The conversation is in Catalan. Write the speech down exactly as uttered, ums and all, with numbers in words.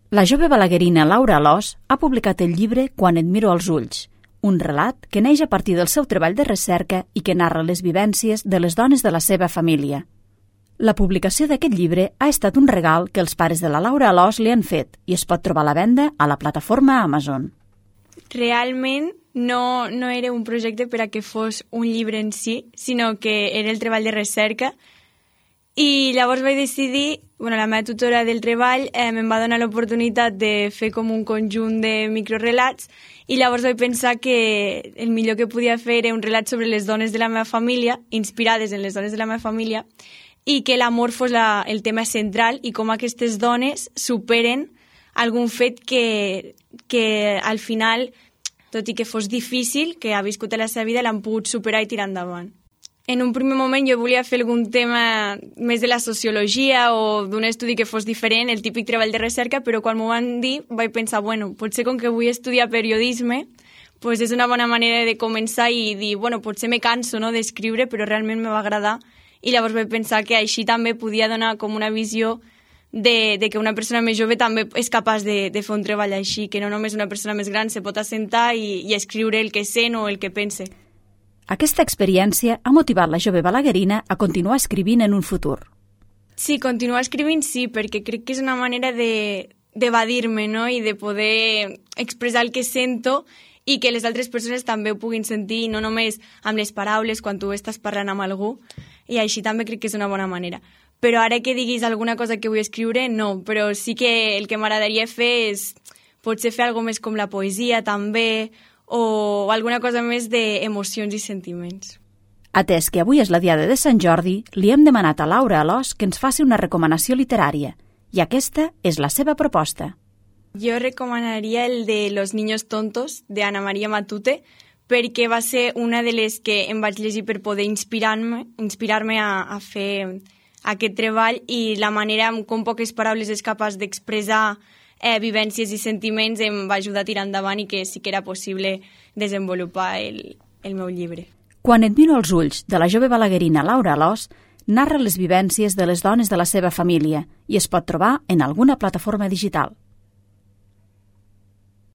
La jove balaguerina Laura Alòs ha publicat el llibre Quan et miro als ulls, un relat que neix a partir del seu treball de recerca i que narra les vivències de les dones de la seva família. La publicació d'aquest llibre ha estat un regal que els pares de la Laura Alòs li han fet i es pot trobar a la venda a la plataforma Amazon. Realment no, no era un projecte per a que fos un llibre en si, sinó que era el treball de recerca. I llavors vaig decidir, bueno, la meva tutora del treball eh, em va donar l'oportunitat de fer com un conjunt de microrelats i llavors vaig pensar que el millor que podia fer era un relat sobre les dones de la meva família, inspirades en les dones de la meva família, i que l'amor fos la, el tema central i com aquestes dones superen algun fet que, que al final, tot i que fos difícil, que ha viscut a la seva vida, l'han pogut superar i tirar endavant. En un primer moment jo volia fer algun tema més de la sociologia o d'un estudi que fos diferent, el típic treball de recerca, però quan m'ho van dir vaig pensar, bueno, potser com que vull estudiar periodisme, pues és una bona manera de començar i dir, bueno, potser me canso, no?, d'escriure, però realment me va agradar. I llavors vaig pensar que així també podia donar com una visió de, de que una persona més jove també és capaç de, de fer un treball així, que no només una persona més gran se pot assentar i, i escriure el que sent o el que pense. Aquesta experiència ha motivat la jove balaguerina a continuar escrivint en un futur. Sí, continuar escrivint sí, perquè crec que és una manera de d'evadir-me, no?, i de poder expressar el que sento i que les altres persones també ho puguin sentir, no només amb les paraules quan tu estàs parlant amb algú, i així també crec que és una bona manera. Però ara que diguis alguna cosa que vull escriure, no, però sí que el que m'agradaria fer és potser fer alguna més com la poesia també, o alguna cosa més d'emocions i sentiments. Atès que avui és la diada de Sant Jordi, li hem demanat a Laura Alòs que ens faci una recomanació literària, i aquesta és la seva proposta. Jo recomanaria el de Los niños tontos, de Ana María Matute, perquè va ser una de les que em vaig llegir per poder inspirar-me inspirar-me a, a fer aquest treball i la manera amb com poques paraules és capaç d'expressar Eh, vivències i sentiments em va ajudar a tirar endavant i que sí que era possible desenvolupar el, el meu llibre. Quan et miro als ulls, de la jove balaguerina Laura Alòs, narra les vivències de les dones de la seva família i es pot trobar en alguna plataforma digital.